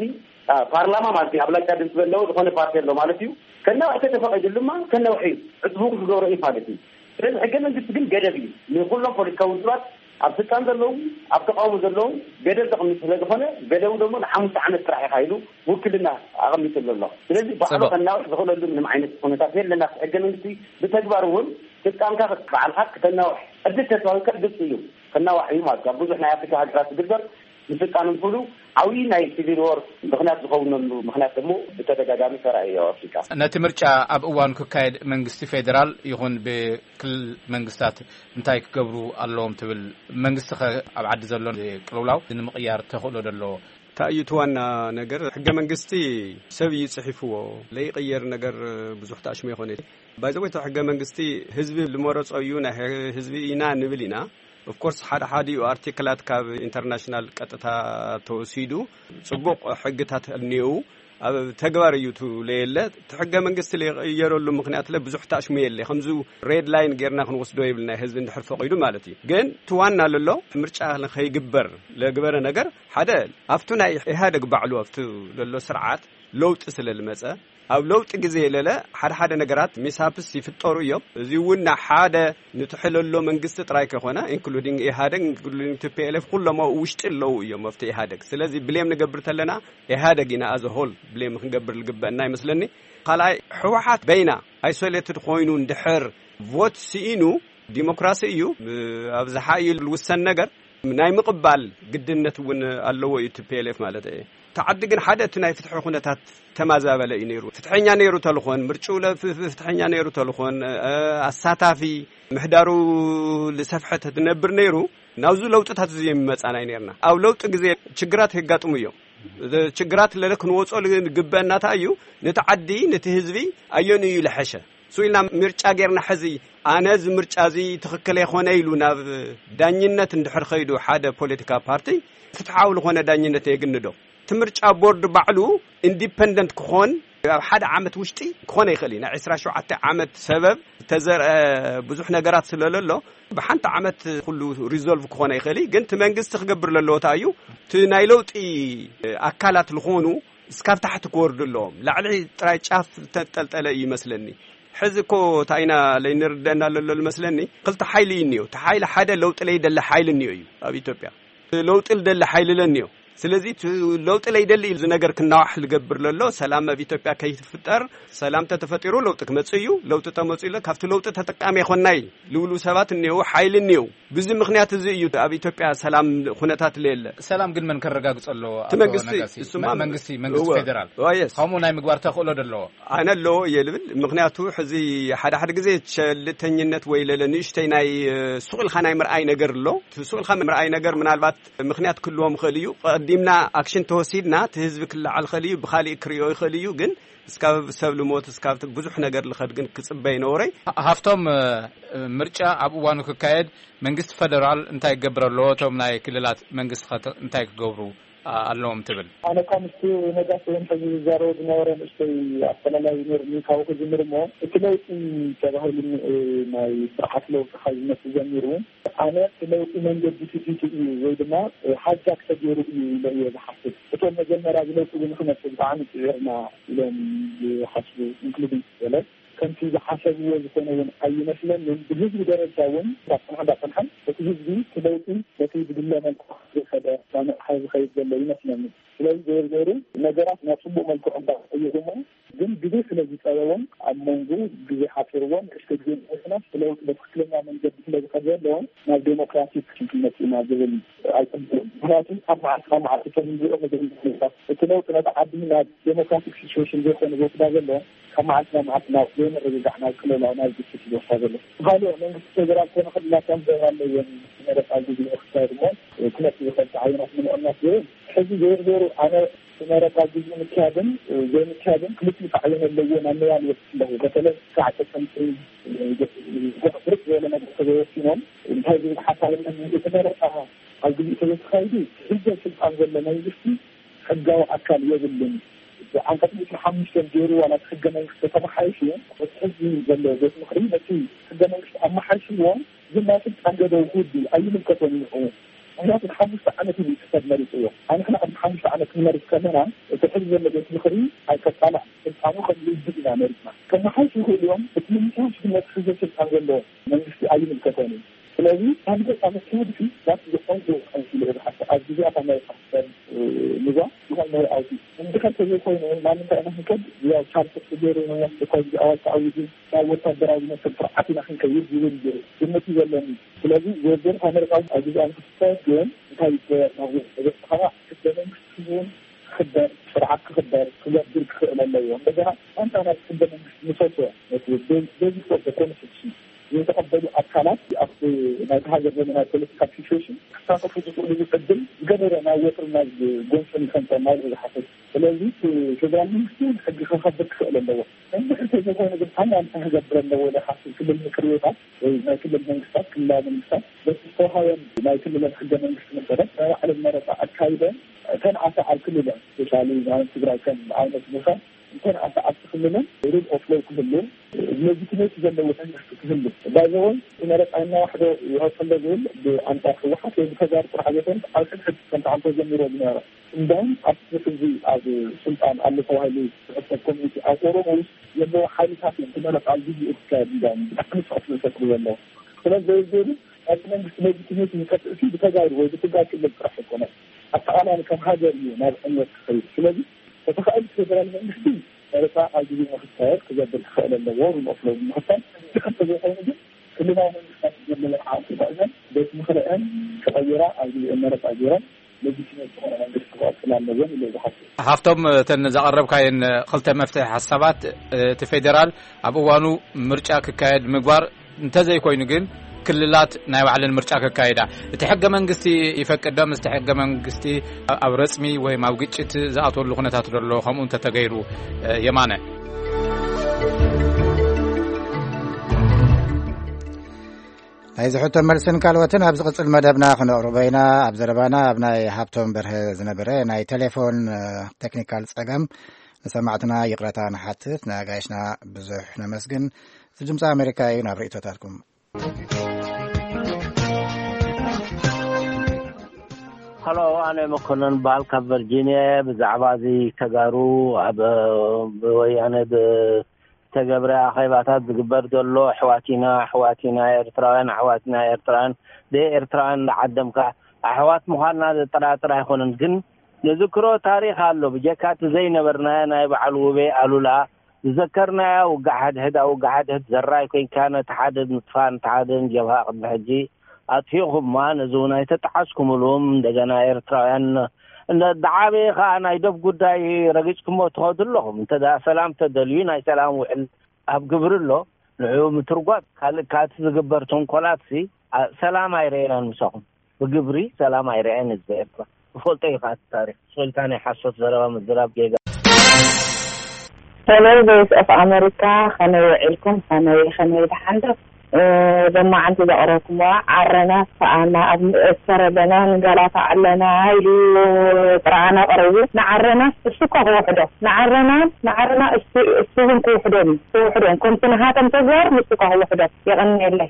ፓርላማ ማለት እዩ ኣብላጫ ድምፂ ዘለዎ ዝኾነ ፓርቲ ኣሎ ማለት እዩ። ከናውሕ ተተፈቒዱ ድማ ከናውሕ እዩ። ዕፅቡ ክገብሮ እዩ ማለት እዩ። ስለዚ ሕገ መንግስቲ ግን ገደብ እዩ ንኩሎም ፖለቲካዊ ውድባት ኣብ ስልጣን ዘለዉ ኣብ ተቃውሞ ዘለዉ ገደብ ዘቕምጥ ስለ ዝኾነ ገደቡ ደግሞ ንሓሙሽተ ዓመት ጥራሕ ኢኻ ኢሉ ውክልና ኣቐሚጥሉ ኣሎ። ስለዚ ባዕሉ ከናውሕ ዝኽእለሉ ምንም ዓይነት ኩነታት የለና። ሕገ መንግስቲ ብተግባር እውን ስልጣንካ ባዕልካ ክተናውሕ ዕድል ተትዋህብካ ግልፂ እዩ። ከናዋሕ እዩ ማለት ካብ ብዙሕ ናይ ኣፍሪካ ሃገራት ዝግበር ንስልጣን እንክሉ ዓብዪ ናይ ሲቪል ዎር ምክንያት ዝኸውነሉ ምክንያት ደግሞ ብተደጋጋሚ ተራእዮ ኣፍሪካ። ነቲ ምርጫ ኣብ እዋኑ ክካየድ መንግስቲ ፌዴራል ይኹን ብክልል መንግስታት እንታይ ክገብሩ ኣለዎም ትብል? መንግስቲ ከ ኣብ ዓዲ ዘሎ ቅልውላው ንምቕያር ተኽእሎ ዶ ኣለዎ? እንታይ እዩ እቲ ዋና ነገር? ሕገ መንግስቲ ሰብ እዩ ጽሒፍዎ። ለይቕየር ነገር ብዙሕ ተኣሽሙ ይኾነ። ባይዘወይ እቲ ሕገ መንግስቲ ህዝቢ ዝመረጾ እዩ፣ ናይ ህዝቢ ኢና ንብል ኢና። ኦፍኮርስ ሓደ ሓዲኡ ኣርቲክላት ካብ ኢንተርናሽናል ቀጥታ ተወሲዱ ጽቡቕ ሕግታት እኒአው ኣብ ተግባር እዩ ትብለየለ። እቲ ሕገ መንግስቲ ለይቕየረሉ ምክንያት ለ ብዙሕ ተኣሽሙ የለ። ከምዚ ሬድ ላይን ጌርና ክንወስዶ የብልና ህዝቢ እንድሕር ፈቒዱ ማለት እዩ። ግን እቲ ዋና ለሎ ምርጫ ከይግበር ለግበረ ነገር ሓደ ኣብቱ ናይ ኢህኣደግ ባዕሉ ኣብቱ ለሎ ስርዓት ለውጢ ስለ ልመጸ ኣብ ለውጢ ግዜ የለለ ሓደ ሓደ ነገራት ሚስሃፕስ ይፍጠሩ እዮም። እዚ እውን ንሓደ ንትሕለሎ መንግስቲ ጥራይ ከይኮነ፣ ኢንክሉዲንግ ኢህኣደግ፣ ኢንክሉዲንግ ቲ ፒ ኤል ኤፍ፣ ኩሎም ኣብኡ ውሽጢ ኣለዉ እዮም ኣብቲ ኢህኣደግ። ስለዚ ብሌም ንገብር ተለና ኢህኣደግ ኢና ኣዘ ሆል ብሌም ክንገብር ዝግበአና ይመስለኒ። ካልኣይ፣ ህወሓት በይና ኣይሶሌትድ ኮይኑ እንድሕር ቮት ስኢኑ፣ ዲሞክራሲ እዩ፣ ኣብዝሓ እዩ ዝውሰን ነገር፣ ናይ ምቕባል ግድነት እውን ኣለዎ እዩ ቲ ፒ ኤል ኤፍ ማለት እዩ። እቲ ዓዲ ግን ሓደ እቲ ናይ ፍትሒ ኩነታት ተማዛበለ እዩ ነይሩ። ፍትሐኛ ነይሩ ተልኾን፣ ምርጭኡ ለ-፣ ፍ-፣ ፍ-፣ ፍትሐኛ ነይሩ ተልኾን፣ እ፣ ኣሳታፊ፣ ምሕዳሩ ዝሰፍሐ ተትነብር ነይሩ፣ ናብዚ ለውጥታት እዚ የሚመጻና እዩ ነይርና። ኣብ ለውጢ ግዜ ችግራት የጋጥሙ እዮም። ችግራት ለለ ክንወጾ ዝግበአና እንታይ እዩ? ነቲ ዓዲ፣ ነቲ ህዝቢ ኣየኑ እዩ ለሐሸ? ስኡ ኢልና ምርጫ ጌርና ሕዚ፣ ኣነ እዚ ምርጫ እዚ ትኽክል ኣይኮነ ኢሉ ናብ ዳኝነት እንድሕር ኸይዱ ሓደ ፖለቲካ ፓርቲ፣ ፍትሓዊ ዝኾነ ዳኝነት የግንዶ? እቲ ምርጫ ቦርድ ባዕሉ ኢንዲፐንደንት ክኾን፣ ኣብ ሓደ ዓመት ውሽጢ ክኾነ ይኽእል እዩ። ናይ ዕስራ ሸውዓተ ዓመት ሰበብ ዝተዘርአ ብዙሕ ነገራት ስለለሎ፣ ብሓንቲ ዓመት ኩሉ ሪዞልቭ ክኾነ ይኽእል እዩ። ግን እቲ መንግስቲ ክገብር ለለዎ እንታይ እዩ? እቲ ናይ ለውጢ ኣካላት ዝኾኑ እስካብ ታሕቲ ክወርዱ ኣለዎም። ላዕሊ ጥራይ ጫፍ ዝተንጠልጠለ እዩ ይመስለኒ። ሕዚ እኮ እንታይ ኢና ለይንርደአና ለሎ ዝመስለኒ፣ ክልተ ሓይሊ እዩ እኒኦ። እቲ ሓይሊ ሓደ ለውጢ ለይደሊ ሓይሊ እኒኦ እዩ ኣብ ኢትዮጵያ። ለውጢ ልደሊ ሓይሊ ለኒዮ። ስለዚ እቲ ለውጢ ለይደሊ እዩ እዚ ነገር ክናዋሕ ልገብር ለሎ፣ ሰላም ኣብ ኢትዮጵያ ከይፍጠር። ሰላም ተተፈጢሩ ለውጢ ክመጽእ እዩ። ለውጢ ተመጽኡ ኢለ ካብቲ ለውጢ ተጠቃሚ ኣይኮናይ ልብሉ ሰባት እኒአው፣ ሓይሊ እኒአው። ብዚ ምኽንያት እዚ እዩ ኣብ ኢትዮጵያ ሰላም ኩነታት ለየለ። ሰላም ግን መን ከረጋግጾ ኣለዎ? እቲ ኣቶ መንግስቲ፣ ነጋሲ? እሱማ መ-፣ መንግስቲ፣ መንግስቲ እወ። ፌዴራል እወ፣ የስ። ከምኡ ናይ ምግባር ተኽእሎ ዶ ኣለዎ? ኣነ ኣለዎ እየ ልብል። ምኽንያቱ ሕዚ ሓደ ሓደ ግዜ ቸልተኝነት ወይ ለለ ንእሽተይ ናይ፣ እ፣ ሱቕ ኢልካ ናይ ምርኣይ ነገር ኣሎ። እቲ ሱቕ ኢልካ ምርኣይ ነገር ምናልባት ምኽንያት ክህልዎም ይኽእል እዩ። ቀዲምና ኣክሽን ተወሲድና እቲ ህዝቢ ክለዓል ይኽእል እዩ፣ ብኻሊእ ክርእዮ ይኽእል እዩ። ግን እስካብ ሰብ ልሞት፣ እስካብ ብዙሕ ነገር ልኸድ ግን ክጽበ ይነውረይ። ሃ-፣ ሃፍቶም፣ እ፣ ምርጫ ኣብ እዋኑ ክካየድ መንግስቲ ፈደራል እንታይ ክገብር ኣለዎ? እቶም ናይ ክልላት መንግስቲ ኸ እንታይ ክገብሩ፣ ኣ-፣ ኣለዎም ትብል? ኣነ እኳ ምስቲ ነጋሲ እውን ሕዚ ዝዛረቦ ዝነበረ ንእሽተይ ኣፈላላይ ነይሩኒ። ካብኡ ክጅምር እሞ፣ እቲ ለውጢ ተባሂሉ ን-፣ ናይ ስርዓት ለውጢ ካብ ዝመጽእ ጀሚሩ፣ ኣነ እቲ ለውጢ መንገዲ ስቲቱ እዩ ወይ ድማ ሃጃክ ተገይሩ እዩ ኢለ እየ ዝሓስብ። እቶም መጀመርያ እዚ ለውጢ እዚ ንክመጽእ ብጣዕሚ ጽዒርና ኢሎም ዝሓስቡ፣ ኢንክሉዲንግ ገለ፣ ከምቲ ዝሓሰብዎ ዝኾነ እውን ኣይመስለንን። ብህዝቢ ደረጃ እውን እንዳጸንሐ እንዳጸንሐ እቲ ህዝቢ እቲ ለውጢ በቲ ዝድለ መልክዑ ከይኸደ፣ ናብ ነቕሓ ዝኸይድ ዘሎ ይመስለኒ። ስለዚ ዞሮ ዞሮ ነገራት ናብ ጽቡቕ መልክዑ እንዳተቐየሩ እሞ፣ ግን ግዜ ስለ ዝጸበቦም፣ ኣብ መንጎ ግዜ ሓጺርዎም፣ ንእሽቶ ግዜ ምኽናስ ለውጢ በትክክለኛ መንገዲ ስለ ዝኸደ ዘለዎም፣ ናብ ዴሞክራቲክ ክንመጽእ ኢና ዝብል ኣይጽብቕን። ምኽንያቱ ካብ መዓልቲ ናብ መዓልቲ እቶም ንሪኦ ዘለና ኩነታት፣ እቲ ለውጢ ነቲ ዓዲ ናብ ዴሞክራቲክ ሲቹዌሽን ዘይኮነ ዝወስዳ ዘሎ፣ ካብ መዓልቲ ናብ መዓልቲ ናብ ዘይምርግጋዕ፣ ናብ ቅልውላው፣ ናብ ግጭት እዩ ዝወስዳ ዘሎ። ካልኦ መንግስቲ ፌደራል ኮነ ክልላት ከም ዘረባ ኣለወን መረፃ ግዜ ክካየድ እሞ፣ ክመፅእ ዝኽእል ተዓይኖት ንምቕናስ ዝብል፣ ሕዚ ዞሮ ዞሮ ኣነ መረፃ ግዜ ምክያድን ዘይምክያድን ክልቲኡ ተዓይኖ ኣለዎ ናብ ምባል ይበፅሕ ኣለኹ። በተለይ ክሳዕ ጥቅምቲ፣ ብርቅ ዝበለ ነገር ተዘይወሲኖም፣ እንታይ ዝብል ሓሳብ ኣለኒ? እቲ መረፃ ኣብ ግዜ ተዘይተኻይዱ፣ ዝሕዘ ስልጣን ዘሎ መንግስቲ ሕጋዊ ኣካል የብሉን። ብዓንቀፅ ዕስራን ሓሙሽተን ገይሩ ዋላ እቲ ሕገ መንግስቲ ተተመሓይሹ፣ እቲ ሕዚ ዘሎ ቤት ምኽሪ ነቲ ሕገ መንግስቲ ኣመሓይሽዎ፣ ግን ናይ ስልጣን ገደቡ ክውዲ ኣይምልከቶን እዩ ንዕኡ። ምኽንያቱ ንሓሙሽተ ዓመት እዩ ክሰብ መሪፅዎ። ኣንሕና ኣብዚ ሓሙሽተ ዓመት ክንመርፅ ከለና፣ እቲ ሕዚ ዘሎ ቤት ምኽሪ ኣይከቃላዕ፣ ስልጣኑ ከም ውድብ ኢና መሪፅና። ከመሓይሹ ይኽእሉ እዮም፣ እቲ ምምሕያሽ ግን ነቲ ሕዚ ስልጣን ዘለዎ መንግስቲ ኣይምልከቶን እዩ። ስለዚ፣ ካብ ገጻ መካየዲ ናብቲ ዝኾን ዝውዕል ኢለ እየ ዝሓስብ። ኣብ ግዜያት ኣሜሪካ ክፈል፣ እ፣ ንዛ ዝኾን መርኣውቲ። እንድሕር ተዘይኮይኑ፣ ናብ ምንታይ ኢና ክንከድ? ያው ቻርተር ተገይሩ፣ ናይ ኣስቸኳይ ጊዜ ኣዋጅ ተኣዊጁ፣ ናብ ወታደራዊ ዝመስል ስርዓት ኢና ክንከይድ ዝብል ግምት እዩ ዘለኒ። ስለዚ፣ ዝርዝር ኣሜሪካ ኣብ ግዜኣ ንክትካየድ ግን እንታይ ይገበር? ናብ ዝበፅሓ ሕገ መንግስቲ እውን ክኽበር፣ ስርዓት ክኽበር፣ ክገብር ክኽእል ኣለዎ። እንደገና፣ ኣንታ ናብቲ ሕገ መንግስቲ ምሰሶ፣ ነቲ ቤ-፣ ቤዚክ ኦፍ ዘ ኮንስቲቱሽን ዘይተቐበሉ ኣካላት ኣብቲ ናይቲ ሃገር ዘመናዊ ፖለቲካል ሲቹዌሽን ክሳተፉ ዝኽእሉሉ ዕድል ዝገበረ ናብ ወጥርን ናብ ጎንፅን ይኸንጠም ኢለ እየ ዝሓስብ። ስለዚ እቲ ፌደራል መንግስቲ እውን ሕጊ ከኸብር ክኽእል ኣለዎ። እንድሕር ተዘይኮይኑ ግን ፋይናንስ ክገብር ኣለዎ ኢለ ይሓስብ። ክልል ምክር ቤታት ወይ ናይ ክልል መንግስታት፣ ክልላዊ መንግስታት በቲ ዝተውሃበን ናይ ክልለን ሕገ መንግስቲ መሰረት ናይ ባዕለን መረፃ ኣካይደን እተን ኣተ ኣብ ክልለን፣ ስፔሻሊ ማለት ትግራይ ከም ኣብነት ንውሰድ፣ እንተን ኣተ ኣብቲ ክልለን ሩል ኦፍ ሎው ክህሉ፣ ሌጂቲሜት ዘለዎ መንግስቲ ክህሉ ባይዘወይ መረፃ እናዋሕደ ይቐፅል ዝብል ብኣንፃር ህወሓት ወይ ብተጋሩ ጥራሕ ዘይኮነ ኣብ ሕድሕድ ከምቲ ዓንቶ ጀሚሮ ዝነበረ እንዳውም ኣብቲ ሕዚ ኣብ ስልጣን ኣሎ ተባሂሉ ዝሕሰብ ኮሚኒቲ ኣብ ኦሮሞ ውስጥ ዘለዉ ሓይልታት እዮም ክመረፅ ኣብ ግዜኡ ክካየድ እንዳውም ብጣዕሚ ስቕት ዝፈጥሩ ዘለዉ። ስለዚ ዘይገዱ ናይቲ መንግስቲ ሌጂቲሜት ይጠፍእ ሲ ብተጋሩ ወይ ብትጋር ክልል ጥራሕ ኣይኮነን። ኣጠቓላሊ ከም ሃገር እዩ ናብ ዕንወት ክኸይድ። ስለዚ ተተኻእል ፌደራል መንግስቲ መረፃ ኣብ ግዜ ንክካየድ ክገብር ክኽእል ኣለዎ ንመስሎ ብምኽታል ዝከተ ዘይኮይኑ ግን ክልላዊ መንግስታት ዘለወን ዓቕሚ ተጠቒመን ቤት ምኽርአን ተቐይራ ኣብ ግዜአን መረፃ ገይረን ሌጂቲሜት ዝኾነ መንግስቲ ክቐፅል ኣለወን ኢለ ዝሓስብ። ሃፍቶም እተን ዘቐረብካየን ክልተ መፍትሒ ሓሳባት እቲ ፌደራል ኣብ እዋኑ ምርጫ ክካየድ ምግባር እንተዘይኮይኑ ግን ክልላት ናይ ባዕለን ምርጫ ከካይዳ እቲ ሕገ መንግስቲ ይፈቅድ ዶ? ምስቲ ሕገ መንግስቲ ኣብ ረጽሚ ወይም ኣብ ግጭት ዝኣትወሉ ኩነታት ዶ ኣሎ? ከምኡ እንተተገይሩ የማነ ናይዚ ሕቶ መልስን ካልኦትን ኣብ ዝቕጽል መደብና ክነቕርቦ ኢና። ኣብ ዘረባና ኣብ ናይ ሃብቶም በርሀ ዝነበረ ናይ ቴሌፎን ቴክኒካል ጸገም ንሰማዕትና ይቕረታ ንሓትት። ንኣጋይሽና ብዙሕ ነመስግን። እዚ ድምፂ ኣሜሪካ እዩ። ናብ ርእይቶታትኩም። ሀሎ፣ ኣነ መኮነን በሃል ካብ ቨርጂኒያ። ብዛዕባ እዚ ተጋሩ ኣብ ብወያነ ብተገብረ ኣኼባታት ዝግበር ዘሎ ኣሕዋት ኢና፣ ኣሕዋት ኢና፣ ኤርትራውያን ኣሕዋት ኢና፣ ኤርትራውያን ደይ ኤርትራውያን እንዳዓደምካ ኣሕዋት ምዃንና ዘጠራጥር ኣይኮነን። ግን ንዝክሮ ታሪኽ ኣሎ። ብጀካ እቲ ዘይነበርናዮ ናይ በዓል ውቤ ኣሉላ ዝዘከርናያ ውግእ ሓድሕድ ኣብ ውግእ ሓድሕድ ዘራይ ኮይንካ ነቲ ሓደ ምጥፋእ ነቲ ሓደ ንጀብሃ ቅድሚ ሕጂ ኣጥፊእኹማ፣ ነዚ እውን ኣይተጠዓስኩምሉም። እንደገና ኤርትራውያን እንደ ዓበየ ከዓ ናይ ዶብ ጉዳይ ረጊጽኩሞ ትኸዱ ኣለኹም። እንተ ደኣ ሰላም ተደልዩ ናይ ሰላም ውዕል ኣብ ግብሪ ኣሎ፣ ንዕኡ ምትርጓም ካልእ ካቲ ዝግበር ተንኮላትሲ ሰላም ኣይረኤናን ምሳኹም። ብግብሪ ሰላም ኣይረኣየን ህዝቢ ኤርትራ። ትፈልጦ ኢኻ እቲ ታሪኽ። ስቕ ኢልካ ናይ ሓሶት ዘረባ ምዝራብ ጌጋ። ሄሎ ቮይስ ኦፍ ኣመሪካ፣ ከመይ ውዒልኩም? ከመይ ከመይ ደሓን ዶ? ሎማዓንቲ ዘቕረብኩምዋ ዓረና ስኣና ኣብ ንእሰር ኣለና ንጋላታ ኣለና ኢሉ ጥርዓና ቀሪቡ። ንዓረና እሱ እኳ ክውሕዶ ንዓረና ንዓረና እሱ እውን ክውሕዶም እዩ ክውሕዶም ከምቲ ንሃቶም ተግባር ንሱ እኳ ክውሕዶም። የቐንየለይ።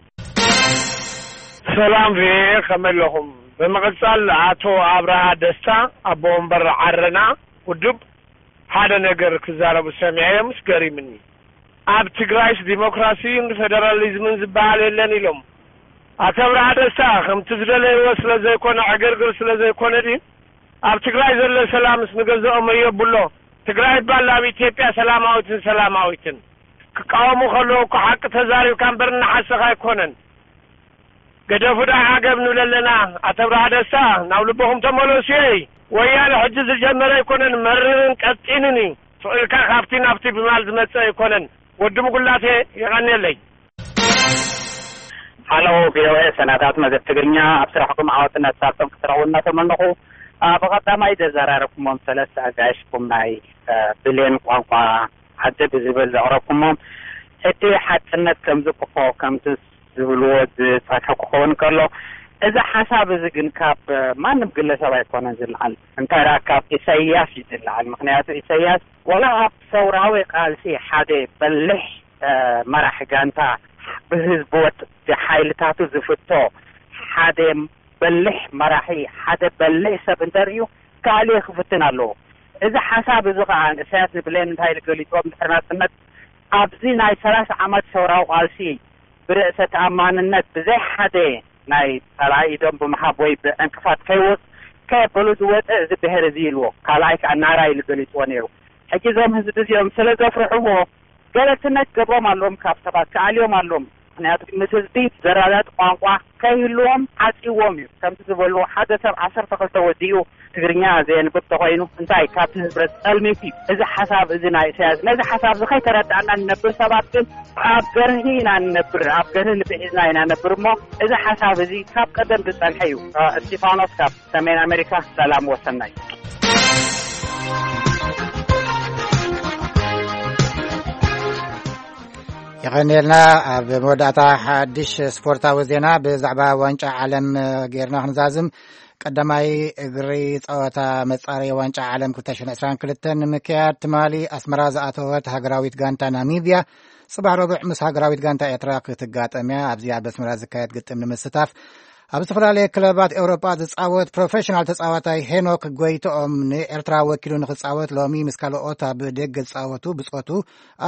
ሰላም ቪኦኤ ከመይ ኣለኹም? ብምቕጻል ኣቶ ኣብርሃ ደስታ ኣቦ ወንበር ዓረና ውድብ ሓደ ነገር ክዛረቡ ሰሚዐዮምስ ገሪምኒ። ኣብ ትግራይስ ዲሞክራሲን ፌደራሊዝምን ዝበሃል የለን ኢሎም። ኣቶ ኣብርሃ ደስታ ከምቲ ዝደለይዎ ስለ ዘይኮነ ዕግርግር ስለ ዘይኮነ ድዩ? ኣብ ትግራይ ዘሎ ሰላምስ ንገዝኦም ኣየብሎ። ትግራይ ይባል ኣብ ኢትዮጵያ ሰላማዊትን ሰላማዊትን ክቃወሙ ከለዉ እኮ ሓቂ ተዛሪብካ እምበር እናሓሰኻ ኣይኮነን። ገደፉ ደኣ ዓገብ ንብል ኣለና። ኣቶ ኣብርሃ ደስታ ናብ ልቦኹም ተመለሱ። እይ ወያነ ሕጂ ዝጀመረ ኣይኮነን፣ መሪርን ቀጢንን እዩ። ስቕ ኢልካ ካብቲ ናብቲ ብማል ዝመጽእ ኣይኮነን። ወዲ ምጉላቴ የቐንየለይ። ሃሎ ቪኦኤ ሰናዳት መደብ ትግርኛ፣ ኣብ ስራሕኩም ዓወትን ኣሳልጦን ክትረኽቡ እናተመነኹ፣ ብቐዳማይ ዘዘራረብኩሞም ሰለስተ ኣጋይሽኩም ናይ ብሌን ቋንቋ ዓዲ ብዝብል ዘቕረብኩሞም ሕጂ ሓቅነት ከም ዝቅፎ ከምቲ ዝብልዎ ዝጸንሐ ክኸውን ከሎ፣ እዚ ሓሳብ እዚ ግን ካብ ማንም ግለሰብ ኣይኮነን ዝለዓል፣ እንታይ ደኣ ካብ ኢሳይያስ እዩ ዝለዓል። ምኽንያቱ ኢሳይያስ ዋላ ኣብ ሰውራዊ ቃልሲ ሓደ በሊሕ መራሒ ጋንታ፣ ብህዝቢ ወጥ ብሓይልታቱ ዝፍቶ ሓደ በሊሕ መራሒ፣ ሓደ በሊሕ ሰብ እንተርእዩ ክኣልዮ ክፍትን ኣለዎ። እዚ ሓሳብ እዚ ኸኣ ኢሳያስ ንብሌን እንታይ ኢሉ ገሊጽዎ? ድሕሪ ናጽነት ኣብዚ ናይ ሰላሳ ዓመት ሰውራዊ ቃልሲ ብርእሰ ተኣማንነት ብዘይ ሓደ ናይ ጸላኢ ኢዶም ብምሃብ ወይ ብዕንቅፋት ከይወጽ ከየበሉ ዝወጸ እዚ ብሄር እዚ ኢልዎ። ካልኣይ ከኣ ናራ ኢሉ ገሊጽዎ ነይሩ። ሕጂ እዞም ህዝቢ እዚኦም ስለ ዘፍርሕዎ ገለልትነት ገብሮም ኣለዎም፣ ካብ ሰባት ክኣልዮም ኣለዎም። ምኽንያቱ ምስ ህዝቢ ዘራዳድ ቋንቋ ከይህልዎም ዓጽይዎም እዩ። ከምቲ ዝበልዎ ሓደ ሰብ ዓሰርተ ክልተ ወዲኡ ትግርኛ ዘየንብብ ተኾይኑ እንታይ ካብቲ ህዝብረት ጸልሚት እዩ። እዚ ሓሳብ እዚ ናይ ኢሳያስ ነዚ ሓሳብ እዚ ከይተረዳእና ንነብር ሰባት ግን ኣብ ገርሂ ኢና ንነብር፣ ኣብ ገርሂ ንብዒዝና ኢና ነብር እሞ እዚ ሓሳብ እዚ ካብ ቀደም ዝጸንሐ እዩ። እስቲፋኖስ ካብ ሰሜን ኣሜሪካ ሰላም ወሰናይ። የቐንየልና። ኣብ መወዳእታ ሓድሽ ስፖርታዊ ዜና ብዛዕባ ዋንጫ ዓለም ጌርና ክንዛዝም። ቀዳማይ እግሪ ጸወታ መጻረዪ ዋንጫ ዓለም ክልተ ሽሕን ዕስራን ክልተን ንምክያድ ትማሊ ኣስመራ ዝኣተወት ሃገራዊት ጋንታ ናሚብያ፣ ጽባሕ ረቡዕ ምስ ሃገራዊት ጋንታ ኤርትራ ክትጋጠም እያ። ኣብዚ ኣብ ኣስመራ ዝካየድ ግጥም ንምስታፍ ኣብ ዝተፈላለየ ክለባት ኤውሮጳ ዝጻወት ፕሮፌሽናል ተጻዋታይ ሄኖክ ጎይትኦም ንኤርትራ ወኪሉ ንክጻወት ሎሚ ምስ ካልኦት ኣብ ደገ ዝጻወቱ ብጾቱ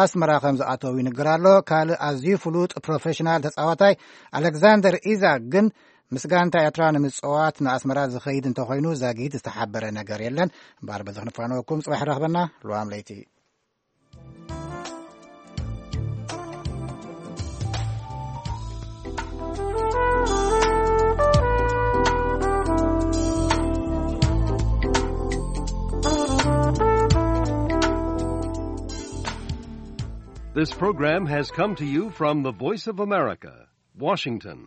ኣስመራ ከም ዝኣተው ይንገር ኣሎ። ካልእ ኣዝዩ ፍሉጥ ፕሮፌሽናል ተጻዋታይ ኣሌክዛንደር ኢዛክ ግን ምስ ጋንታ ኤርትራ ንምጽዋት ንኣስመራ ዝኸይድ እንተኾይኑ ዛጊት ዝተሓበረ ነገር የለን። እምበኣር በዚ ክንፋነወኩም፣ ጽባሕ ረኽበና። ልዋም ለይቲ። This program has come to you from the Voice of America, Washington.